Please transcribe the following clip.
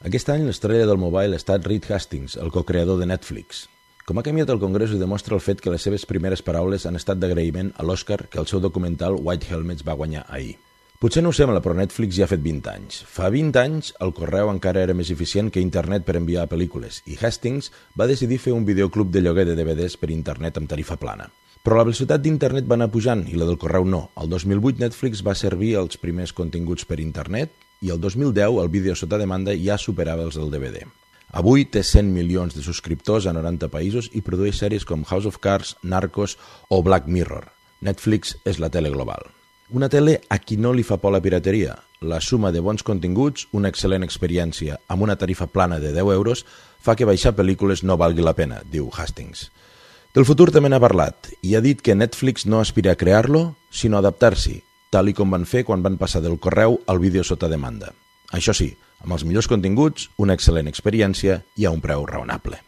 Aquest any l'estrella del mobile ha estat Reed Hastings, el co-creador de Netflix. Com ha canviat el Congrés ho demostra el fet que les seves primeres paraules han estat d'agraïment a l'Oscar que el seu documental White Helmets va guanyar ahir. Potser no ho sembla, però Netflix ja ha fet 20 anys. Fa 20 anys el correu encara era més eficient que internet per enviar pel·lícules i Hastings va decidir fer un videoclub de lloguer de DVDs per internet amb tarifa plana. Però la velocitat d'internet va anar pujant i la del correu no. El 2008 Netflix va servir els primers continguts per internet i el 2010 el vídeo sota demanda ja superava els del DVD. Avui té 100 milions de subscriptors a 90 països i produeix sèries com House of Cards, Narcos o Black Mirror. Netflix és la tele global. Una tele a qui no li fa por la pirateria. La suma de bons continguts, una excel·lent experiència amb una tarifa plana de 10 euros fa que baixar pel·lícules no valgui la pena, diu Hastings. Del futur també n'ha parlat i ha dit que Netflix no aspira a crear-lo, sinó a adaptar-s'hi, tal i com van fer quan van passar del correu al vídeo sota demanda. Això sí, amb els millors continguts, una excel·lent experiència i a un preu raonable.